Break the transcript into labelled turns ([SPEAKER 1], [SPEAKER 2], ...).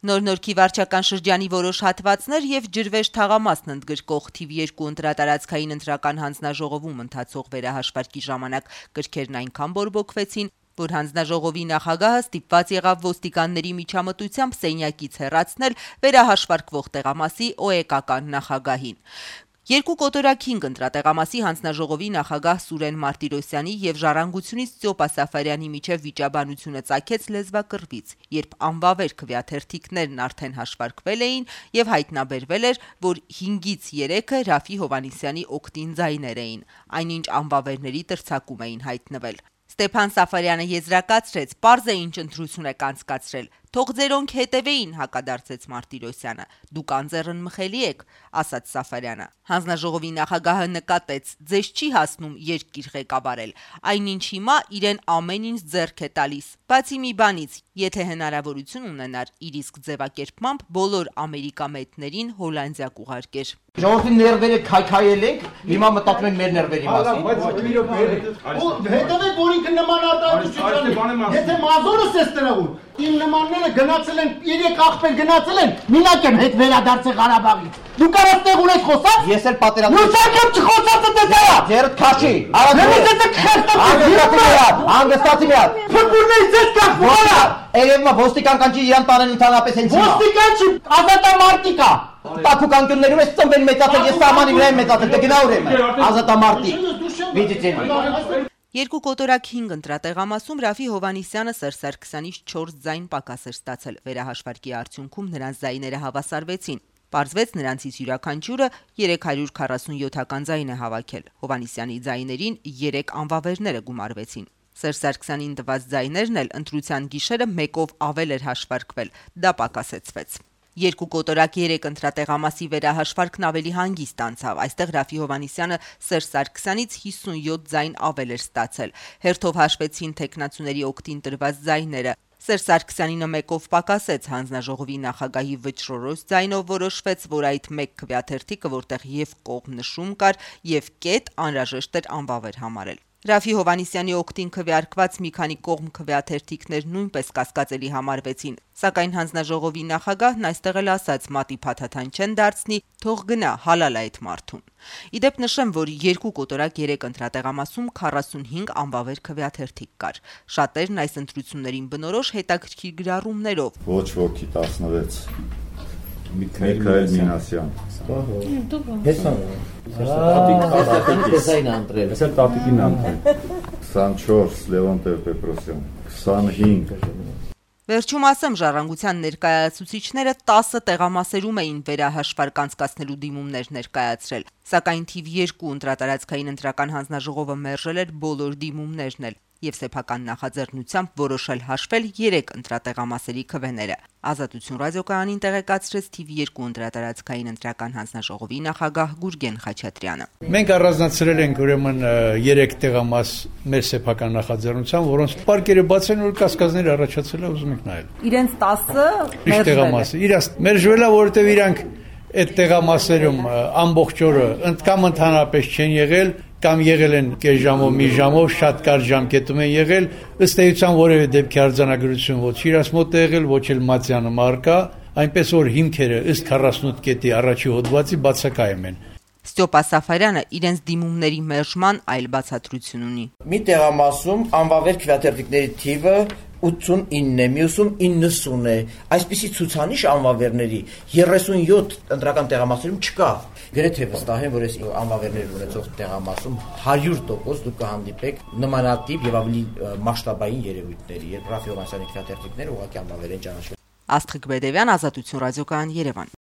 [SPEAKER 1] Նոր-Նորքի վարչական շրջանի որոշ հատվածներ եւ ջրվեժ թաղամասն ընդգրկող թիվ 2 ընտրատարածքային ընտրական հանձնաժողովում ընթացող վերահաշվարկի ժամանակ գրքերն այնքան բորբոքվեցին, որ հանձնաժողովի նախագահը ստիպված եղավ ոստիկանների միջամտությամբ սենյակից հեռացնել վերահաշվարկվող տեղամասի օեկական նախագահին։ 2 կոտորակ 5 ընտրատեղամասի հանձնաժողովի նախագահ Սուրեն Մարտիրոսյանի եւ Ժառանգությունից Ստյոպա Սաֆարյանի միջև վիճաբանությունը ծագեց լեզվակռվից, երբ անվավեր քվեաթերթիկներն արդեն հաշվարկվել էին եւ հայտնաբերվել էր, որ 5-ից 3-ը Ռաֆի Հովհաննիսյանի օգտին ձայներ էին, այնինչ անվավերների տրցակում էին հայտնվել։ Ստեփան Սաֆարյանը եզրակացրեց, պարզ է ինչ ընտրություն եք անցկացրել, թող ձերոնք հետևեին, հակադարձեց Մարտիրոսյանը։ Դուք անձեռն մխելի եք, ասաց Սաֆարյանը։ Հանձնաժողովի նախագահը նկատեց, ձեզ չի հասնում երկիր ղեկավարել, այնինչ հիմա իրեն ամեն ինչ ձեռք է տալիս։ Բացի մի բանից, եթե հնարավորություն ունենար իր իսկ ձևակերպմամբ բոլոր ամերիկամետներին Հոլանդիա կուղարկեր։
[SPEAKER 2] Ժողովրդի ներվերը քայքայել ենք, հիմա մտածում ենք մեր ներվերի մասին։
[SPEAKER 3] Հետևեք, որ ինքը նման արտահայտություն, եթե մազորս ես տրվում, իմ նմանները գնացել են, 3 աղբեր գնացել են, մինակ եմ հետ վերադարձել Ղարաբաղից։ Դու կարաս տեղ ունես խոսալ։
[SPEAKER 2] Ես էլ պատերազմ։
[SPEAKER 3] Լուսակը չխոսացը տեսա։
[SPEAKER 2] Ձերդ քաշի։ Հանգստացի մի հատ։
[SPEAKER 3] Ֆուտբոլներից ես կախվորա։
[SPEAKER 2] Երևի ոստիկան կանչի իրան տանեն ընդհանրապես հենց հիմա։
[SPEAKER 3] Ոստիկան չի, ազատամարտիկ է։
[SPEAKER 2] Տաքուկանկյուններում ես ծնվել մեծացել, ես սահմանի վրա եմ մեծացել, դե գնա ուր եմ։ Ազատամարտիկ։ Վիճեցին։
[SPEAKER 1] 2 կոտորակ 5 ընտրատեղամասում Ռաֆի Հովհաննիսյանը Սերժ Սարգսյանից 4 ձայն պակաս էր ստացել։ Վերահաշվարկի արդյունքում նրանց ձայները հավասարվեցին։ Պարզվեց նրանցից յուրաքանչյուրը 347 ձայն է հավաքել։ Հովհաննիսյանի ձայներին 3 անվավերները գումարվեցին։ Սերժ Սարգսյանին տված ձայներն էլ ընտրության գիշերը 1-ով ավել էր հաշվարկվել։ Դա պակասեցվեց։ 2 կոտորակ 3 ընտրատեղամասի վերահաշվարկն ավելի հանգիստ անցավ։ Այստեղ Ռաֆի Հովհաննիսյանը Սերժ Սարգսյանից 57 ձայն ավել էր ստացել։ Հերթով հաշվեցին թեկնածուների օգտին տրված ձայները։ Սերժ Սարգսյանինը 1-ով պակասեց, հանձնաժողովի նախագահի վճռորոշ ձայնով որոշվեց, որ այդ 1 քվեաթերթիկը, որտեղ եւ կողմ նշում կար, եւ կետ անհրաժեշտ էր անվավեր համարել։ Ռաֆի Հովհաննիսյանի օգտին քվեարկված մի քանի կողմ քվեաթերթիկներ նույնպես կասկածելի համարվեցին, սակայն հանձնաժողովի նախագահն այստեղ էլ ասաց՝ մատի փաթաթան չեն դարձնի, թող գնա, հալալ է այդ մարդուն։ Իդեպ նշեմ, որ 2 կոտորակ 3 ընտրատեղամասում 45 անվավեր քվեաթերթիկ կար։ Շատերն այս ընտրություններին բնորոշ հետաքրքիր գրառումներով։
[SPEAKER 4] Ոչ ոքի 16 Միքայել Մինասյան։
[SPEAKER 2] Ես
[SPEAKER 4] տատիկին անտրել։ 24 Լևոն Տեր-Պետրոսյան, 25
[SPEAKER 1] Վերջում ասեմ, Ժառանգության ներկայացուցիչները 10 տեղամասերում էին վերահաշվարկ անցկացնելու դիմումներ ներկայացրել, սակայն թիվ 2 ընտրատարածքային ընտրական հանձնաժողովը մերժել էր բոլոր դիմումներն էլ եւ սեփական նախաձեռնությամբ որոշել հաշվել 3 ընտրատեղամասերի քվեները։ Ազատություն ռադիոկայանին տեղեկացրեց թիվ 2 ընտրատարածքային ընտրական հանձնաժողովի նախագահ Գուրգեն Խաչատրյանը։
[SPEAKER 5] Մենք առանձնացրել ենք ուրեմն 3 տեղամաս մեր սեփական նախաձեռնությամբ, որոնց պարկերը բացեն, որ կասկածներ առաջացել է, ուզում եք նայել։
[SPEAKER 1] Իրենց 10-ը
[SPEAKER 5] տեղամասը իրաց մերժվել է, որովհետեւ իրանք այդ տեղամասերում ամբողջ օրը կամ ընդհանրապես չեն եղել, կամ եղել են կես ժամով, մի ժամով, շատ կարճ ժամկետում են եղել, ըստ էության որևէ դեպքի արձանագրություն ոչ իրաց մոտ է եղել, ոչ էլ Մատյանը մարկա, այնպես որ հիմքերը ըստ 48 կետի առաջի հոդվածի բացակայում են։
[SPEAKER 1] Ստյոպա Սաֆարյանը իրենց դիմումների մերժման այլ բացատրություն ունի։
[SPEAKER 2] Մի տեղամասում անվավեր քվեաթերթիկների թիվը 89 է, մյուսում 90 է։ Այսպիսի ցուցանիշ անվավերների 37 ընտրական տեղամասերում չկա։ Գրեթե վստահ եմ, որ այս անվավերներ ունեցող տեղամասում 100% դուք կհանդիպեք նմանատիպ եւ ավելի մասշտաբային երևույթների, երբ Ռաֆի Հովհաննիսյանի քվեաթերթիկները ուղղակի անվավեր են ճանաչվել։
[SPEAKER 1] Աստղիկ Բեդևյան, Ազատություն ռադիոկայան, Երևան։